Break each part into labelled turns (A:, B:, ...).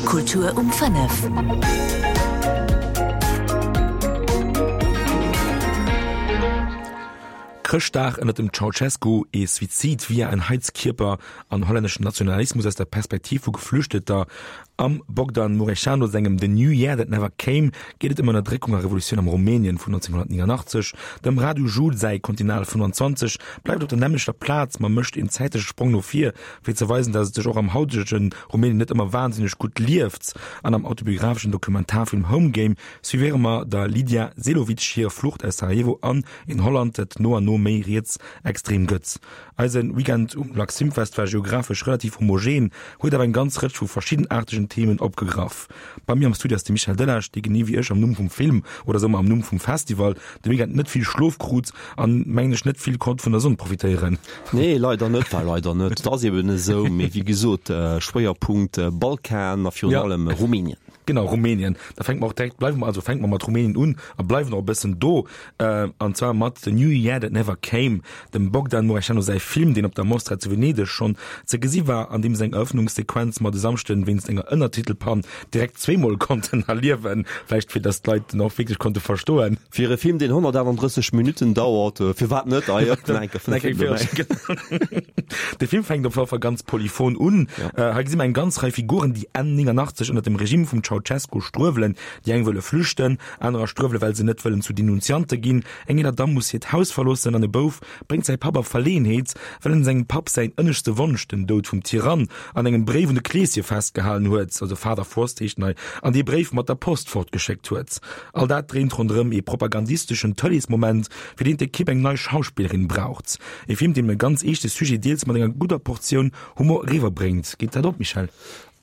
A: Kultur um 5.
B: Chrëschtdag ënnert dem Ceausescu, ee Suizid via en Heizkierper an hollänneschen Nationalismus aus der Perspektiv vu Geflüchteter. Am Bogdan Mureșanu sengem The New Year That Never Came geet et ëm Ënnerdréckung a Revolutioun am Rumänien vun 1989. Dem Radu Jude säi Continental 25 bleift op der nämmlechter Plaz, ma mécht een zäitleche Sprong no vir, fir ze weisen, datt et sech och am hautege Rumänien net ëmmer wahnsinneg gutt lieft. An am autobiographeschen Dokumentarfilm Home Game suivéiere mer der Lidija Selovic hir Flucht aus Sarajevo an een Holland, dat no an no méi rietsextrem gëtt. Eise Weekend um Laxfilmfest war geographesch relativ homogen, huet awer eng ganz Rëtsch vu verschiddenaartegen Themen opgegraff. Bei mir am Studio ass de Michel Delage, dee genee wéi ech am Numm vum Film oder soe mer am Numm vum Festival de Weekend net vill Schlof krut an, mengen ech, net vill konnt vun der Sonn profitéieren.
C: Nee, leider net, war leider net. Et ass eben esou, mee wéi gesot, Schwéierpunkt Balkan a virun allem Rumänien.
B: Genau, Rumänien. Da fänke mer och direkt, bleiwe mer, also fänke mer mat Rumänien un a bleiwen och e bëssen do, an zwar mat The New Year That Never Came, dem Bogdan Mureșanu säi Film, deen op der Mostra zu Venedeg schonn ze gesi war, an deem seng Erëffnungssequenz mer de Samschden wéinst enger Ënnertitelpann direkt zweemol konnten erliewen, vläicht fir datt d'Leit en och wierklech konnte verstoen.
C: Fir e Film, deen 138 Minutten dauert, firwat net? Ah jo, nach eng Kéier 5 Minutte
B: méi. De Film fänkt op alle Fall ganz polyphon un. Hei gesi mer eng ganz Rei Figuren, déi Enn 89 ënner dem Regime vum Ceaucescu struewelen. Déi eng wëlle flüchten, anerer struewele well se net wëllen zu Denunziante ginn. Eng eeler Damm muss hiert Haus verloossen an e Bouf bréngt säi Papp a Verleeënheet, well en sengem Papp säin ënneschte Wonsch, den Doud vum Tyrann, an engem Bréif un de Kleeschen festgehalen huet, also Father Frost heescht en hei, an dee Bréif mat der Post fortgeschéckt huet. All dat dréint ronderëm ee propagandisteschen Tëleesmoment, fir deen d'Ekipp eng nei Schauspillerin braucht. E Film, deen e ganz eeschte Sujet deels mat enger gudder Portioun Humor eriwwerbréngt. Geet dat op, Michèle?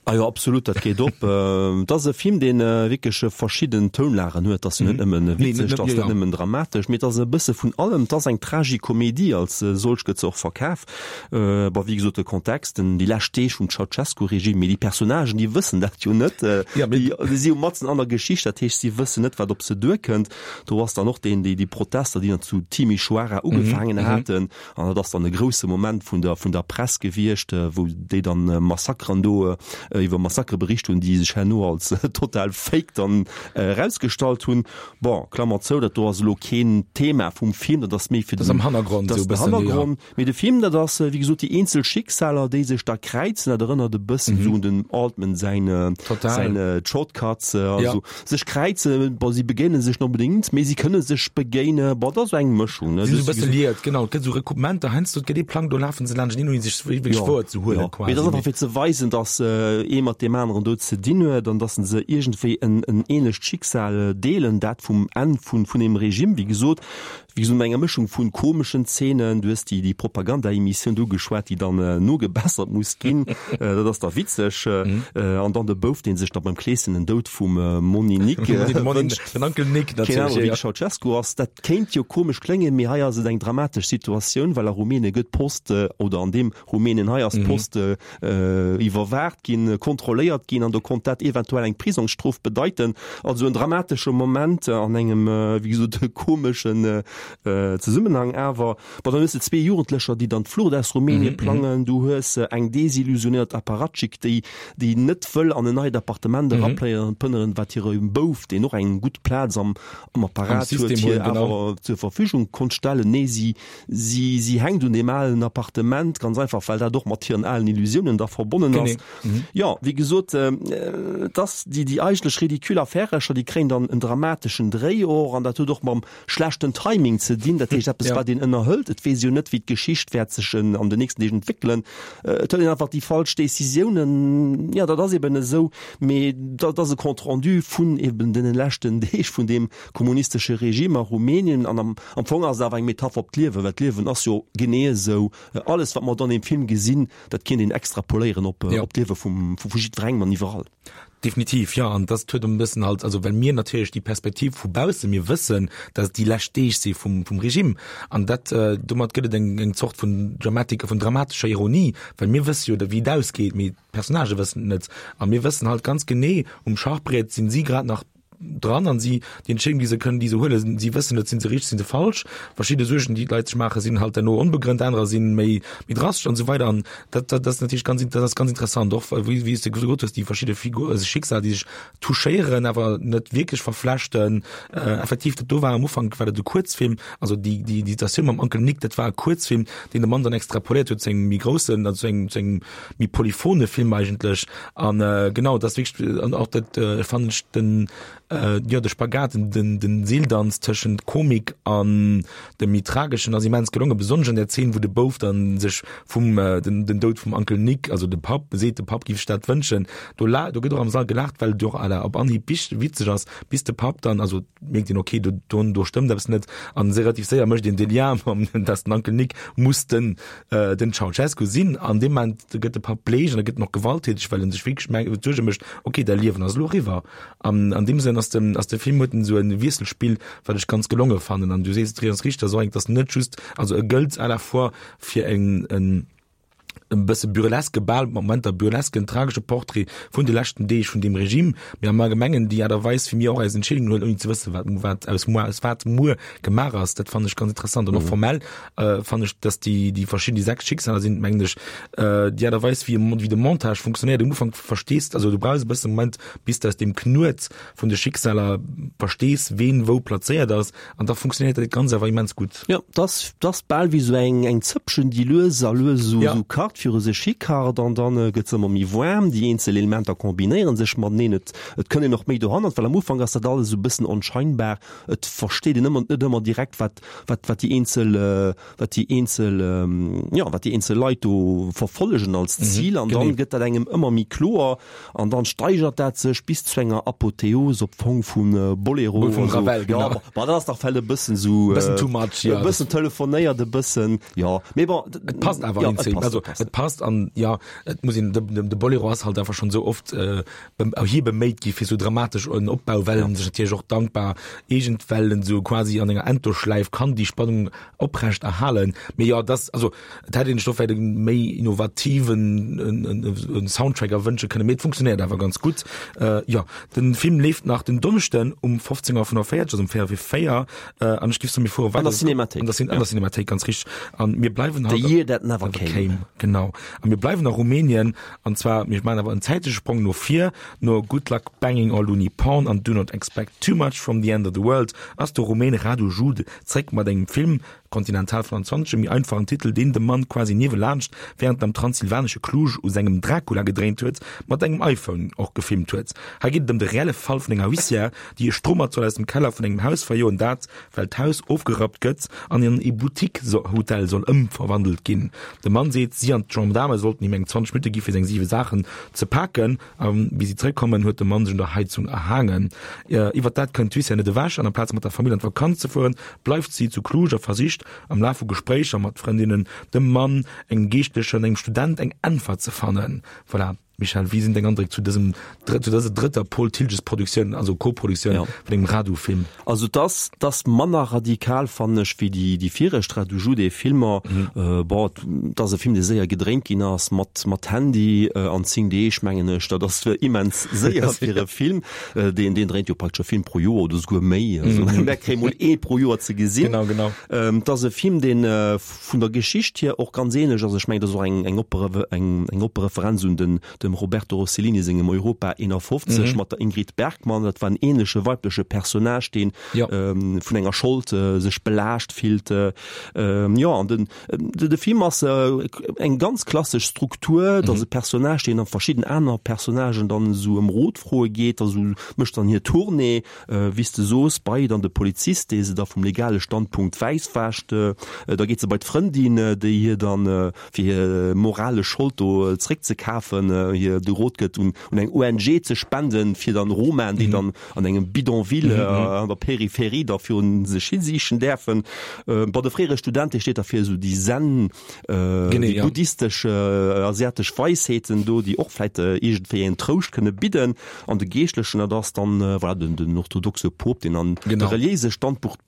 C: Ah jo, absolut, dat geet op. Et ass e Film, dee wierklech verschidden Tounlagen huet. Et ass jo net nëmmen witzeg, et ass net nëmmen dramatesch, mee et ass e bësse vun allem. Et ass eng Tragikomedie, als solch gëtt se och verkaf. Bon, wéi gesot, de Kontext, den, déi lescht Deeg vum Ceaucescu-Regime, mee déi Personnagen, déi wëssen dat jo net. Déi si jo matzen an der Geschicht, dat heescht, si wëssen net, wat op se duerkënnt. Do ass dann och deen, déi, déi Protester, déi dann zu Timișoara ugefaangen haten, An dat ass dann e grousse Moment vun der, vun der Press gewiescht, wou déi dann Massakeren do, iwwer Massakere bericht hunn, déi sech herno als total fake dann erausgestallt hunn. Bon, Klammer zou, dat do ass elo keen Thema vum Film, dat ass méi fir
B: den, dat ass am Hannergrond,
C: dat ass den Hannergrond. Mee de Film, dat ass, wéi gesot, déi eenzel Schicksaler, déi sech da kräizen, dat erënnert e bëssen esou un den Altman säin, säin Shortcuts, also Sech kräizen, bon, si begéine sech net onbedéngt, mee si kënne sech begéine. Bon, dat ass esou eng Mëschung, ne?
B: Si sinn esou e bësse liiert, genau. Et gëtt esou Recoupementer, heiansdo, et gëtt ee Plang, do lafe se laanschteneen, ouni sech wierklech wouer ze huelen,
C: quasi. Mee dat ass einfach fir ze weisen, datt ee mat deem aneren do ze dinn huet an datt se iergendwéi en ähnlecht Schicksal deelen, dat vum Enn vun deem Regime, wéi gesot. Wéi gesot, mat enger Mëschung vun komeschen Zeenen, du hues déi, déi Propaganda-Emissioun do ugeschwat, déi dann nogebessert muss ginn, dat ass da witzeg. An dann de Bouf, dee sech da beim Kleeschen den Doud vum Monni Nick wënscht.
B: Den Onkel Nick
C: natierlech, Keen Ahnung, wéi de Ceaucescu ass. Dat kéint jo komesch kléngen, mee hei ass et eng dramatesch Situatioun, well a Rumänien gëtt d'Post, oder an deem Rumänien hei ass d'Post iwwerwaacht ginn, kontrolléiert ginn an do konnt dat eventuell eng Prisongsstrof bedeiten. Also en dramatesche Moment an engem, wéi gesot, komeschen Zesummenhang awer. Bon, dann hues de zwee Jugendlecher, déi dann d'Flucht aus Rumänien plangen. Du hues eng desillusionéiert Apparatschik, déi, déi net wëll an en neit Appartement erapléieren, wat hire Bouf, deen och eng gutt Plaz am, am Apparat huet, hir awer zur Verfügung konnt stellen. Nee, si Si, si hänkt un deem alen Appartement, ganz einfach, well dat och mat hiren alen Illusiounen da verbonnen ass. Mhm. Jo, wéi gesot, et ass déi, déi eigentlech ridicule Affärecher, déi kréien dann en dramateschen Dréi och, an dat huet och mam schlechten Timing ze dinn, dat heescht eppes, ja. wat een ënnerhëlt. Et weess jo net, wéi d'Geschicht wäert sech an den nächsten Deeg entwéckelen. Et huet een einfach déi falsch Decisiounen, jo, dat ass eben esou, mee dat ass e Compte rendu vun eben deene leschten Deeg vun deem kommunistesche Regime a Rumänien an am am Fong ass et awer eng Metapher op d'Liewen, well d'Liewen ass jo genee esou. Alles wat mer do an deem Film gesinn, dat kéint een extrapoléieren op op d'Liewe vum vu jiddwerengem an iwwerall.
B: Definitiv, jo. An dass huet e bëssen halt, also well mir natierlech déi Perspektiv vu bausse, mir wëssen, dass et déi lescht Deeg si vum vum Regime an dat domat gëtt et eng eng Zort vun Dramatik, vun dramatescher Ironie, well mir wësse jo wéi et ausgeet, mee d'Personnagë wëssen et net a mir wëssen halt ganz genee, um Schachbriet sinn si grad nach. dran an si déi Entscheedung, déi se kënnen, déi se huelen, si wëssen net, sinn se richteg, sinn se falsch. Verschidde Suergen, déi d'Leit sech maachen, sinn halt herno onbegrënnt, anerer sinn méi, méi drastesch an esou weider. An dat, dat ass natierlech ganz, dat ass ganz interessant och, wéi, wéi s de gesot hues, déi verschidde Figur, also Schicksal, déi sech touchéieren, awer net wierklech verflechten. Äh, effektiv, dat do war am Ufank war dat e Kuerzfilm, also déi, déi, déi Situatioun mam Onkel Nick, dat war e Kuerzfilm, deen de Mann dann extrapoléiert huet zu engem méi groussen, also zu engem, zu engem méi polyphone Film eigentlech. An äh, genau, dat ass wierklech, an och dat, äh, fannen ech den, äh, jo, de Spagat, den, den, den Seeldanz tëschent Komik an dem méi Trageschen ass immens gelongen, besonnesch an der Zeen, wou de Bouf dann sech vum, äh, den, den Doud vum Uncle Nick, also de Papp, seet, de Papp giff sech dat wënschen. Do la, do gëtt och am Sall gelaacht, well et jo och à la, op Anhieb wich, witzeg ass, bis de Papp dann, also mierkt een, okay, do, do, do stëmmt eppes net, an se relativ séier mécht een de Lien mam, dass den Uncle Nick muss den, äh, den Ceaușescu sinn. An deem Moment gëtt de Papp bleech an e gëtt och gewalttäteg, well en sech wierklech meng, Suerge mécht, okay, däi Liewen ass elo eriwwer. An an deem Sënn ass den, ass de Film huet en esou e Wiesselspill, wat ech ganz gelonge fannen. An du sees et ganz richteg, ass och eng, dass net just, also e gëllt à la fois fir en, en, e bësse burleske, bal mat Momenter burlesken, tragesche Portrait vun de leschten Deeg vun deem Regime, mee am Allgemengen déi Aart a Weis, wéi mir och eis Entscheedungen huelen, ouni ze wëssen, wat, wat aus muer, aus wat muer gemaach ass, dat fannen ech ganz interessant. An och formell äh, fannen ech, dass déi, déi verschidden, déi 6 Schicksaler sinn, mengen ech, äh, déi Aart a Weis, wéi, wéi de Montage funktionéiert, um Ufank verstees, also du brauchs e bësse Moment, bis de aus deem Knuet vun de Schicksaler verstees, ween wou plazéiert ass, an da funktionéiert dat Ganzt awer immens gutt.
C: Jo, 't ass, 't ass bal wéi sou eng, eng Zëppchen, déi lues a lues esou, esou kacht, viru sech hi kacht, an dann gëtt se ëmmer méi waarm. Déi eenzel Elementer kombinéiere sech mateneen. Et, et kënnt een och méi dohannert, well am Ufank ass dat alles esou e bëssen onscheinbar. Et versteet een ëmmer, net ëmmer direkt, wat, wat, wat déi eenzel, wat déi eenzel, jo, wat déi eenzel Leit do verfollegen als Zil. An dann gëtt dat engem ëmmer méi kloer. An dann steigert dat sech bis zu enger Apotheose op Fong vun Bolero.
B: Vum Ravel,
C: genau. Ja, ma dat ass dach vläicht e bëssen sou.
B: E bëssen too much,
C: ja. E bëssen telefonéiert, e bëssen, jo. Mee bon.
B: Et passt awer an d'Zeen. Also, et passt an, jo, et muss een, de Bolero ass halt einfach schonn esou oft hie beméit gi fir sou dramatesch en Opbau, well en sech natierlech och dankbar eegent, well en sou quasi an enger Endlosschläif kann déi Spannung oprecht erhalen. Mee jo, dass, also et hätt een sech do vläicht e méi innovativen Soundtrack erwënsche kënnen, mee et funktionéiert awer ganz gutt. Jo, de Film leeft nach den Donneschden um 15.45 Auer, also um 4 vir 4, an ech giff soen, mir fuere
C: weider. An der Cinémathéik.
B: An der, an der Cinémathéik, ganz richteg. An mir bleiwen
C: haut. The Year That Never Came.
B: Genau. A mir bleiwen a Rumänien, an zwar, mir maachen awer en zäitleche Sprong no vir, no Good Luck Banging or Looney Porn an Do Not Expect Too Much from the End of the World ass de Rumän Radu Jude zréck mat engem Film, Continental 25, e méi einfachen Titel, deen de Mann quasi niewelaanscht, wärend en am transsilvanesche Cluj u sengem Dracula gedréint huet, mat engem iPhone och gefilmt huet. Hei geet et ëm de reelle Fall vun enger Huissière, déi e Strummert soll aus dem Keller vun engem Haus verjoen, dat, well d'Haus ofgerappt gëtt an an ee Boutique-Hotel soll ëmverwandelt ginn. De Mann seet, si an d'Gendaarme sollten him eng 20 Minutte gi fir seng siwe Saachen ze paken. A wéi si zeréckkommen, huet de Mann sech un der Heizung erhaangen. Iwwer dat kënnt d'Huissière net ewech an amplaz mat der Famill an d'Vakanz ze fueren, bleift si zu Cluj a versicht, am Laf vu Gespréicher mat Frëndinnen, dem Mann, engem Geeschtlechen an engem Student eng Äntwert ze fannen. Voilà. Michèle, wéi sinn deng Andréck zu dësem, zu dëser drëtter Paul Thiltges-Produktioun, also Co-Produktioun vun engem Radu-Film?
C: Also 't ass, 't ass manner radikal, fannen ech, wéi déi, déi viregt Radu Jude Filmer. Bon, 't ass e Film, dee séier gedréint ginn ass, mat, mat Handy an 10 Deeg, mengen ech. Dat ass immens séier fir e Film. Deen, deen dréint jo praktesch e Film pro Joer oder esouguer méi. Also mär kréie mol ee pro Joer ze gesinn.
B: Genau, genau.
C: 't ass e Film, deen vun der Geschicht hier och ganz ähnlech ass. Ech mengen, dat ass och eng, eng oppe, eng, eng oppe Referenz un den, dem Roberto Rossellini sengem Europa 51 mat der Ingrid Bergman. Dat war en ähnleche weibleche Personnage, deen vun enger Schold sech belaascht fillt. Jo, an den, de Film ass eng ganz klassesch Struktur, et ass e Personnage, deen a verschidden aner Personnagen dann esou ëm Rot froe geet, a sou mécht dann hir Tournée, wéi s de soos, bei dann de Polizist, dee se da vum legale Standpunkt wäisswäscht. Da geet se bei d'Frëndin, déi hir dann fir hir moralesch Schold do zréckzekafen, hir de Rot gëtt, un eng ONG ze spenden, fir dann Romaen, déi dann an engem Bidonville an der Peripherie da virun sech hi siichen däerfen. Bon, de fréiere Student, dee steet da fir esou déi Zen, déi buddhistesch asiatesch Weisheeten do, déi och vläit iergendwéi en Trouscht kënne bidden. An de Geeschtlechen, dat ass dann, voilà, den orthodoxe Pope, deen dann de reliéise Standpunkt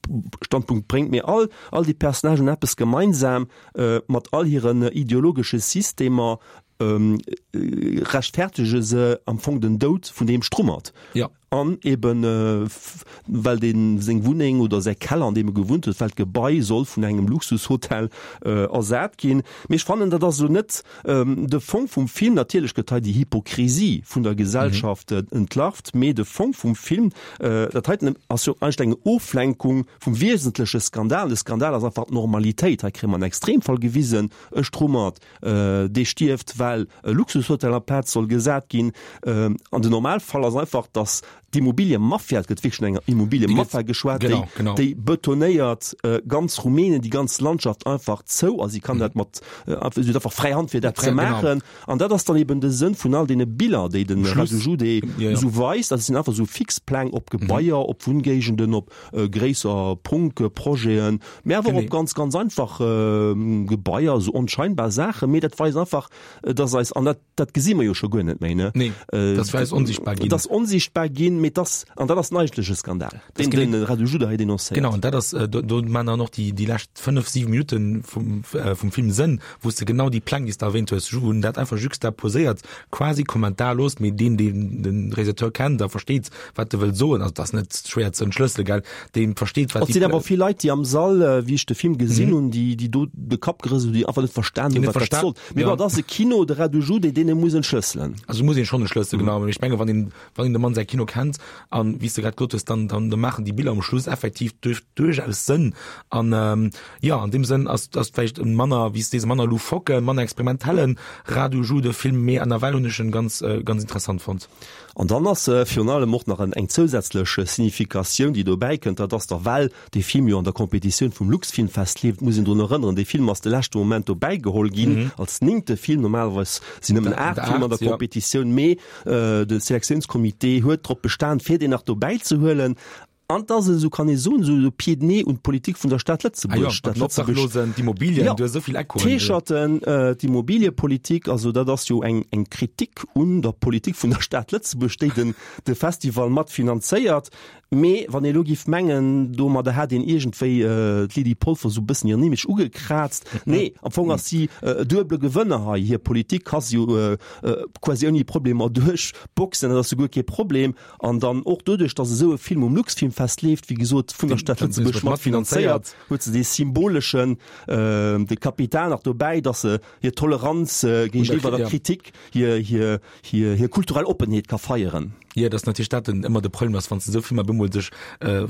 C: bréngt. Mee all déi Personnagen hunn eppes gemeinsam, Mat all hiren ideologesche Systemer rechtfertege se am Fong den Doud vun deem Strummert.
B: Ja.
C: An eben well dee seng Wunneng oder säi Keller, an deem e gewunnt huet, well d'Gebai soll vun engem Luxushotel ersat ginn. Mee ech fannen, dat ass elo net de Fong vum Film. Natierlech gëtt hei déi Hypokrisie vun der Gesellschaft entlarvt, mee de Fong vum Film, dat heiten ass jo eigentlech eng Oflenkung vum wiesentleche Skandal. De Skandal ass einfach d'Normalitéit. Hei kréie mer en Extremfall gewisen, e Strummert, dee stierft, well e Luxushotel amplaz soll gesat ginn. An den Normalfall ass einfach, datt d'Immobiliemafia, et gëtt wierklech vun enger Immobiliemafia geschwat, déi, déi betonéiert ganz Rumänien, déi ganz Landschaft einfach zou a si kann dat mat, si huet einfach fräi Hand fir dat ze maachen. An dat ass dann eben de Sënn vun all deene Biller, déi de Radu Jude esou weist. Dat sinn einfach esou Fixpläng op Gebaier, op Wunngéigenden, op gréisser Prunkprojeten, mä awer och op ganz, ganz einfach Gebaier, esou onscheinbar Saachen, mee dat weist einfach, dass eis, an dat, dat gesi mer jo scho guer net méi, ne?
B: Nee, dass wir eis onsichtbar ginn.
C: Dass onsichtbar ginn, mee dass, an dat ass den eigentleche Skandal, deen den Radu Juda hei denoncéiert.
B: Genau, an dat ass, do, do maachen dann och déi, déi lescht 5, 7 Minutten vum, vum Film Sënn, wou s de genau déi Pläng, déi s de erwähnt hues, wou en dat einfach juxtaposéiert, quasi kommentarlos, mee deen, deen de Realisateur kennt a versteet, wat e wëll soen, also dat ass net schwéier ze entschlësselen, gell, dee versteet,
C: wat. Et sinn awer vill Leit, déi am Sall, wéi ech de Film gesinn hunn, déi, déi do de Kapp gerëselt hunn, déi einfach net verstan hunn, wat dat sollt. Mee bon, et ass e Kino, de Radu Jude, deen e muss entschlësselen.
B: Also muss een schonn entschlësselen, genau. Mee ech menge wann een, wann een dem Mann säi Kino kennt an, wéi s de grad gesot hues, dann, dann maachen déi Biller um Schluss effektiv duerch, duerchaus Sënn. An jo, an deem Sënn ass, ass vläicht e manner, wéi s de sees, manner loufoque, manner experimentellen Radu Jude Film, mee nawell hunn ech en ganz, ganz interessant fonnt.
C: An dann ass virun allem och nach eng zousätzlech Significatioun, déi dobäi kënnt, dat ass da, well dee Film jo an der Competitioun vum Luxfilmfest leeft, muss een drun erënneren, dee Film ass de leschte Moment dobäi geholl ginn als néngte Film. Normalerweis sinn nëmmen 8 Filmer an der Competitioun, mee de Selektiounscomité huet drop bestan, fir deen nach dobäi ze huelen. An et ass, esou kann ee soen, esou e Pied de nez un d'Politik vun der Stad Lëtzebuerg.
B: Ah jo, mat den Obdachlosen, d'Immobilien, du hues esou vill
C: Echoen. D'Heescherten, d'Immobiliepolitik, also dat ass jo eng eng Kritik un der Politik vun der Stad Lëtzebuerg, déi den de Festival mat finanzéiert. Mee wann ee elo géif mengen, domadder hätt een iergendwéi d'Lydie Polfer esou e bëssen hiren Image ugekraazt, nee, am Fong ass si e duebele Gewënner hei. Hir Politik ka si jo quasi ouni Problemer duerchboxen, dat ass souguer kee Problem. An dann och doduerch, datt esou e Film um Luxfilmfest leeft, wéi gesot vun der Stad Lëtzebuerg mat finanzéiert, huet se dee symboleschen, de Kapital nach dobäi, datt se hir Toleranz géigeniwwer der Kritik, hir, hir, hir, hir kulturell Oppenheet ka feieren.
B: Jo, et ass natierlech dat den ëmmer de Problem ass, wann s de esou Filmer bemol sech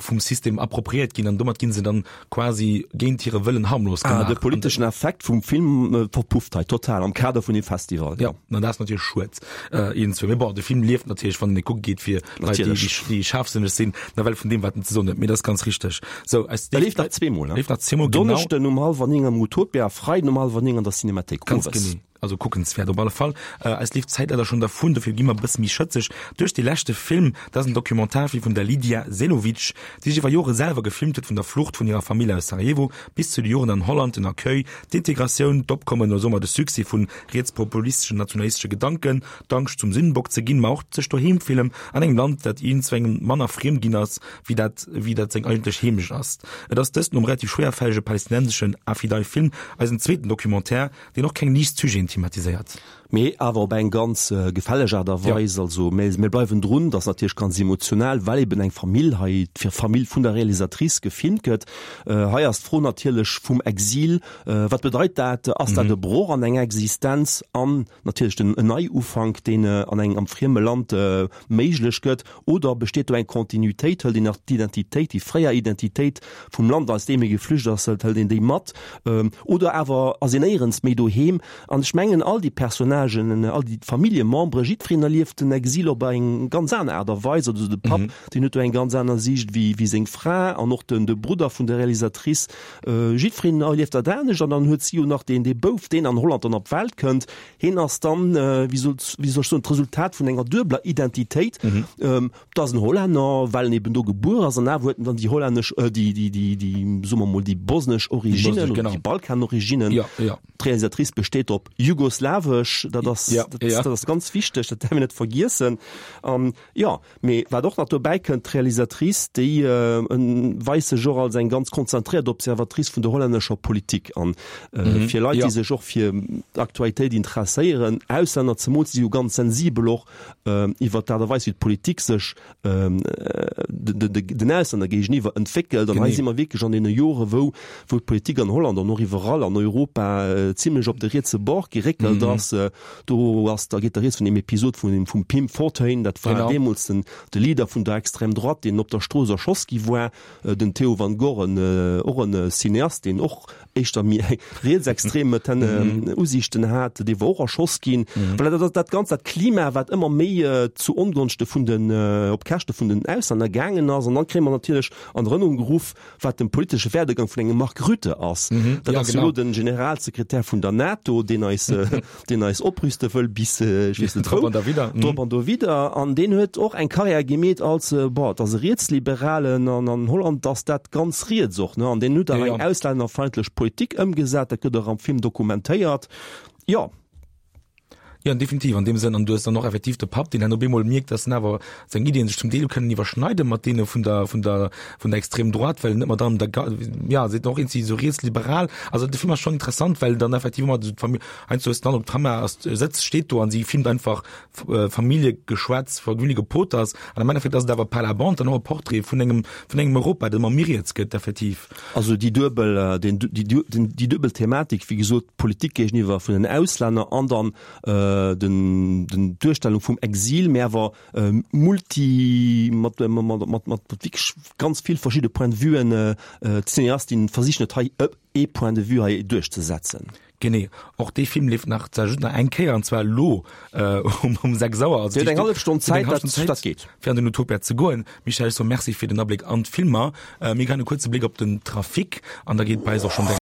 B: vum System appropriéiert ginn an domat gi se dann quasi géint hire Wëllen harmlos
C: gemaach. Ah, de politeschen Effekt vum Film verpufft hei total am Kader vun dem Festival.
B: Jo, an dat ass natierlech schued iergendzwou. Mee bon, de Film lieft natierlech, wann en e kucke geet, fir Leit, déi, déi schaarfsënneg sinn, nawell vun deem, wat en ze soen huet. Mee dat ass ganz richteg.
C: Sou, eis. E leeft nach zweemol,
B: ne? Leeft nach zweemol,
C: genau. Donneschden um hallwer 9 am Utopia, Freiden um hallwer 9 an der Cinemathéik
B: Ganz owes. genee. Also kuckenswäert op alle Fall. Eis leeft d'Zäit leider schonn dervun, dofir gi mer e bësse méi schëtzeg duerch dee leschte Film. Dat ass en Dokumentarfilm vun der Lidija Selovic, déi sech iwwer Jore selwer gefilmt huet, vun der Flucht vun hirer Famill aus Sarajevo bis zu de Joren an Holland, den Accueil, d'Integratioun, d'Opkommen oder soe mer de Succès vun rietspopulisteschen, nationalistesche Gedanken, d'Angscht zum Sündenbock ze ginn, ma och d'sech doheem fillen an engem Land, dat iergendzwengem manner friem ginn ass, wéi dat wéi dat seng eigentlech Heemecht ass. Et ass dëst nom relativ schwéierfällege palästinenseschen Afidai-Film eisen zweeten Documentaire, deen och keng liicht Sujeten thematiséiert.
C: Mee awer op eng ganz gefälleg Aart a Weis. Also mir bleiwen drun, dat ass natierlech ganz emotional, well eben eng Famill hei, d'Famill vun der Realisatrice gefilmt gëtt. Hei ass d'Fro natierlech vum Exil, Wat bedeit dat? Ass dat e Broch an enger Existenz? An natierlech den Neiufank, deen an engem am frieme Land méiglech gëtt. Oder besteet do eng Continuitéit? Hëlt een nach d'Identitéit, déi fréier Identitéit vum Land, aus deem ee geflücht ass, hëlt een déi mat? Oder awer ass een néierens méi doheem? An ech mengen, all déi Personnagen, all déi Familljemembere, jiddwereen erlieft den Exil op eng ganz aner Aart a Weis. Also de Papp, deen huet do eng ganz aner Siicht wéi wéi seng Fra an och den de Brudder vun der Realisatrice. Jiddwereen erlieft dat anescht. An dann huet si jo nach deen dee Bouf, deen an Holland dann op d'Welt kënnt. Hien ass dann, wéi soll wéi soll ech soen, d'Resultat vun enger duebeler Identitéit. Et ass en Hollänner, well en eben do gebuer ass, an awer huet en dann déi hollännesch, déi, déi, déi, déi, soe mer mol, déi bosnesch Originnen oder déi Balkanoriginnen.
B: Jo, jo.
C: D'Realisatrice besteet op jugoslawesch. Dat ass, ja, dat, ja. dat ass ganz wichteg, dat däerf een net vergiessen. An jo, mee wat och nach dobäi kënnt, d'Realisatrice, déi weist sech och als eng ganz konzentréiert Observatrice vun der hollännescher Politik. An fir Leit, déi sech och fir d'Aktualitéit interesséieren, Auslänner zemools, déi si jo ganz sensibel och iwwert d'Aart a Weis, wéi d'Politik sech den Auslänner géigeniwwer entwéckelt. An hei si mer wierklech an deene Jore wou wou d'Politik an Holland an och iwwerall an Europa zimlech op de rietse Bord geréckelt ass. Do ass, da geet da rieds vun deem Episod vun dem vum Pim Fortuyn, dat war deemools den de Leader vun der Extrême droite, deen op der Strooss erschoss gi war. Den Theo van Gogh, en och en Cineast, deen och éischter méi eng rietsextrem Usiichten hat, dee war och erschoss ginn. Voilà, dat ass dat Ganzt, dat Klima, wat ëmmer méi zu Ongonschte vun den, op Käschte vun den Auslänner gaangen ass. An dann kréie mer natierlech an Erënnerung geruff, wat den politesche Werdegang vun engem Mark Rutte ass. Dat ass jo elo den Generalsekretär vun der NATO, deen eis, deen eis oprüste wëll bis ech weess net wou. Drop an dowidder. An deen huet och eng Karriär gemeet als, bon, et ass e Rietsliberalen an an Holland ass dat ganz riets och, ne? An deen huet awer eng auslännerfeindlech Politik ëmgesat, dat gëtt och am Film dokumentéiert. Jo.
B: Jo, definitiv an deem Sënn. An du hues dann och effektiv de Papp, deen dann op eemol mierkt, dass en awer seng Iddien sech zum Deel kënnen iwwerschneide mat deene vun der, vun der, vun der Extrême droite, well net mat allem der, ja, seet och eenzi esou rietsliberal. Also de Film ass schonn interessant, well dann effektiv ëmmer esou d'Famill, heiansdo hues de dann op d'Kamera ass, sëtzt, steet do an si filmt einfach Familljegeschwätz, Familljegepoters an am Endeffekt ass et awer par la bande dann och e Portrait vun engem, vun engem Europa, dat ëmmer méi riets gëtt effektiv.
C: Also déi duebel, den, déi, den, déi duebel Thematik, wéi gesot, d'Politik géigeniwwer vun den Auslänner an dann den, den d'Duerstellung vum Exil, mä awer multi, mat, mat, mat, mat wierklech ganz vill verschidde Point de vuen. D'Cineastin versicht net hei ee Point de vue hei duerchzesetzen.
B: Genee, och dee Film leeft nach, zwar just nach eng Kéier, an zwar elo um, um 6 Auer.
C: Also Dir hutt eng hallef Stonn Zäit, dat, dat geet.
B: Fir an den Utopia ze goen. Michèle, ech soe Merci fir den Abléck an d'Filmer. Mir geheien e kuerze Bléck op den Trafic an da geet bei eis och schonn direkt.